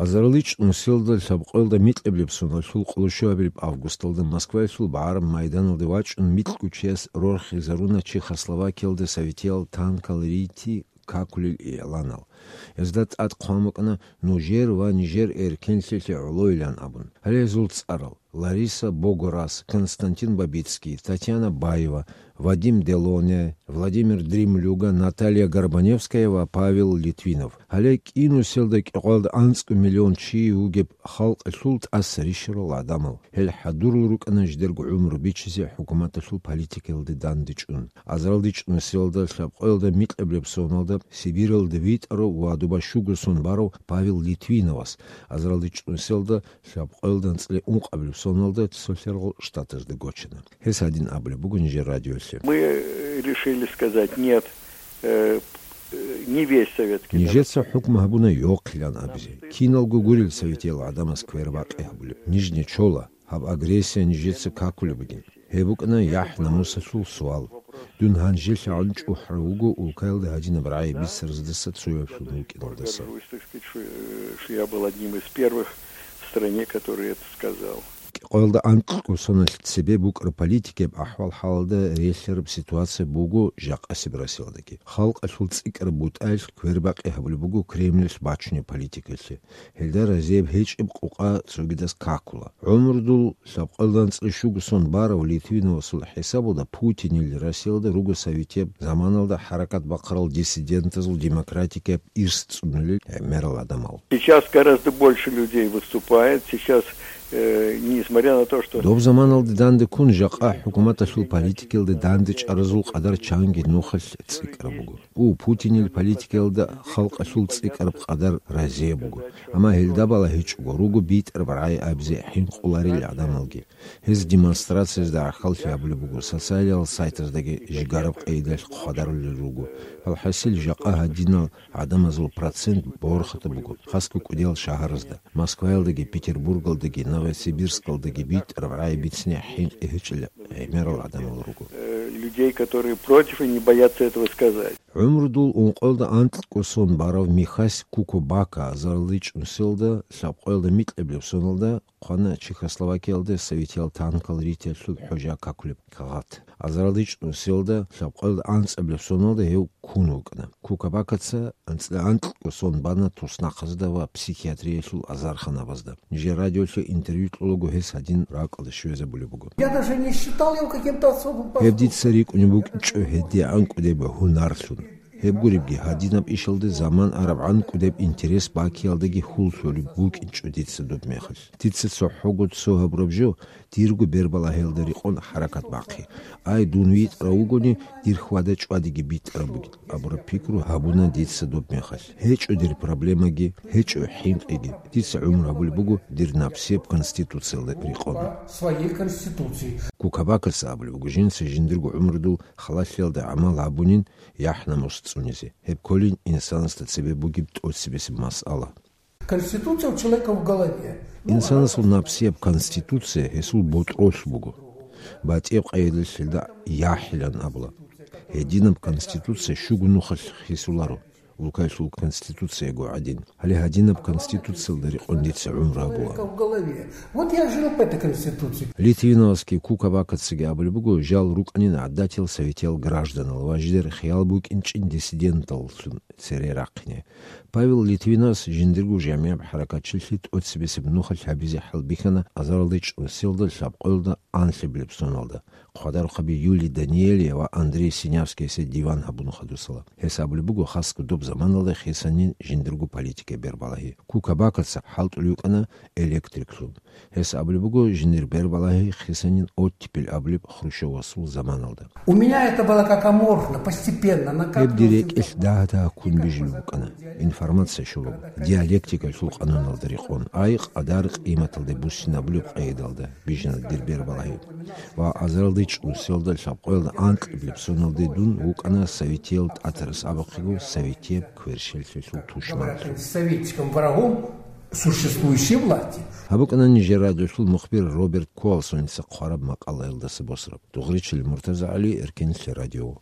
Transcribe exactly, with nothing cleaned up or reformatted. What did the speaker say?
АзаралдичӀ нусилда лъабкъоялда микьабилеб соналъул къоло щуабилеб августалда Москваялъул БагӀараб майданалде вачӀун микьго чияс рорхизаруна Чехословакиялда советиял танкал рити какулел игӀланал. Гьезда тӀад хъван букӀана нужер ва нижер эркенлъиялъе гӀолойилан абун. Гьале гьезул цӀарал: Лариса Богораз, Константин Бабицкий, Татьяна Баева, Вадим Делоне, Владимир Дремлюга, Наталья Горбаневская ва Павел Литвинов. Гьале кӀинусиялда кӀикъоялда анцӀго миллион чи вугеб халкъалъул тӀаса рищарал гӀадамал. Гьел хӀадурал рукӀана жидерго гӀумру бичизе хӀукуматалъул политикаялде дандечӀун. АзаралдичӀ нусиялда лъабкъоялда микьабилеб соналда Сибиралда витӀарав ва доба щуго сон барав Павел Литвиновас, азаралдичӀ нусиялда лъабкъоялда анцӀила ункъабилеб соналда Цолъаргъул Штатазда гочана. Гьес гьадин абулеб буго нижер радиолъе: Мы решили сказать нет, э, э, не весь советский народ. Нижеца хӀукму гьабуна йохъилан абизе. Киналго гурел советиял гӀадамаз квербакъи гьабулеб. Ниж нечола. Гьаб агрессия нижеца какулеб бугин. Гьеб букӀана яхӀ-намусалъул суал. Дун гьанжелъагӀун чӀухӀарав вуго улкаялда гьадинаб рагӀи бицараздаса цояблъун вукӀиналдаса. Горжусь, так сказать, что, э, что я был одним из первых в стране, который это сказал. КӀикъоялда анкьго соналъ цебе букӀараб политикияб ахӀвал-хӀалалда релълъараб ситуация буго жакъасеб Россиялдаги. Халкъалъул цӀикӀкӀараб бутӀаялъ квербакъи гьабулеб буго Кремльалъ бачунеб политикалъе. Гьелда разияб гьечӀеб къукъа цогидас какула. ГӀумрудул лъабкъоялда анцӀила щуго сон барав Литвиновасул хӀисабалда Путинил Россиялда руго советияб заманалда хӀаракат бахъарал диссидентазул демократикияб ирс цӀунулел гӀемерал гӀадамал. Сейчас гораздо больше людей выступает. Сейчас, э, несмотря на то, что Доб заманалда данде ккун жакъа хӀукуматалъул политикаялда дандечӀаразул къадар чанги нухалъ цӀикӀкӀараб буго. У, Путинил политикаялда халкъалъул цӀикӀкӀараб къадар разияб буго. Амма гьелда балагьичӀого руго битӀараб рагӀи абизе хӀинкъуларел гӀадамалги. Гьез демонстрациязда гӀахьаллъи гьабулеб буго, социалиял сайтаздаги жигараб къайдалъ хъвадарулел руго. Алхасил, жакъа гьадинал гӀадамазул процент борхатаб буго, хасго кӀудиял шагьаразда. Москваялдаги, Петербургалдаги, Новосибирскалдаги битӀараб рагӀи бицине хӀинкъи гьечӀел гӀемерал гӀадамал руго. Э, людей, которые против и не боятся этого сказать. ГӀумрудул ункъоялда анкьго сон барав Михась Кукубака азаралдичӀ нусиялда лъабкъоялда микьабилеб соналда хъвана Чехословакиялда советиял танкал ритиялъул хӀужа какулеб кагъат. АзаралдичӀ нусиялда лъабкъоялда анцӀабилеб соналда гьев ккун вукӀана. Кукабакаца анцӀила анкьго сон бана туснахъазда ва психиатриялъул азарханабазда. Нижер радиолъе интервью кьолаго гьес гьадин ракӀалде щвезабулеб буго. Я даже не считал его каким-то особым поступком. Гьеб дица рикӀкӀунеб букӀинчӀо гьедигӀан кӀудеб гьунарлъун. Гьеб гуребги, гьадинаб ишалде заман арабгӀан кӀудеб интерес бакиялдаги хьул лъолеб букӀинчӀо дица доб мехалъ. Дица цохӀого цо гьабураб жо, дирго бербалагьиялда рекъон хӀаракат бахъи. Ай, дун витӀарав вугони, дир хьвада-чӀвадиги битӀараб бугин абураб пикру гьабуна дица доб мехалъ. ГьечӀо дир проблемаги, гьечӀо хӀинкъиги. Дица гӀумру гьабулеб буго дир напсияб конституциялда рекъон. Своей Конституции. Кукабакаца абулеб буго, жинца жиндирго гӀумрудул халалъиялда гӀамал гьабунин, яхӀ-намус цӀунизе. Гьеб кколин инсанасда цебе бугеб тӀоцебесеб масъала. Конституция у человека в голове. Инсанасул напсияб конституция гьесул ботӀролъ буго. БатӀияб къайдалъ гьелда яхӀилан абула. Гьединаб конституция щуго нухалъ хисуларо, улкаялъул конституцияго гӀадин. Гьале гьадинаб конституциялда рекъон дица гӀумру гьабула. Человека в голове. Вот я жил по этой Конституции. Литвиновасги Кукабакацаги абулеб буго, жал рукӀанин гӀадатиял советиял гражданал ва жидер хиял букӀинчӀин диссиденталлъун цере рахъине. Павел Литвиновас жиндирго жамигӀаб хӀаракатчилъи тӀоцебесеб нухалъ гьабизе хӀалбихьана азаралдичӀ нусиялда лъабкъоялда анлъабилеб соналда. Хъвадарухъаби Юлий Даниэлия ва Андрей Синявскиясе диван гьабун хадусала. Гьес абулеб буго, хасго доб заманалда хисанин жиндирго политика бербалагьи. Кукабакаца хӀалтӀулев вукӀана электриклъун. Гьес абулеб буго, жиндир бербалагьи хисанин оттепель абулеб Хрущевасул заманалда. У меня это было как аморфно, постепенно, на Гьеб дир рекӀелъ дагь-дагь ккун бижулеб букӀана. Информация щолаго, диалектикалъул къануналда рекъон, ай къадар-къиматалде буссинабулеб къайдалда бижана дир бербалагьи. Ва азаралдичӀ нусиялда лъабкъоялда анкьабилеб соналде дун вукӀана советиял тӀатарас абухъего советияб кверщеллъиялъул тушманлъун. Советским врагом существующей власти. Гьаб букӀана нижер радиолъул мухбир Роберт Куалсоница хъвараб макъалаялдаса босараб. Дугъричил Муртаза ГӀали, Эркенлъи радио.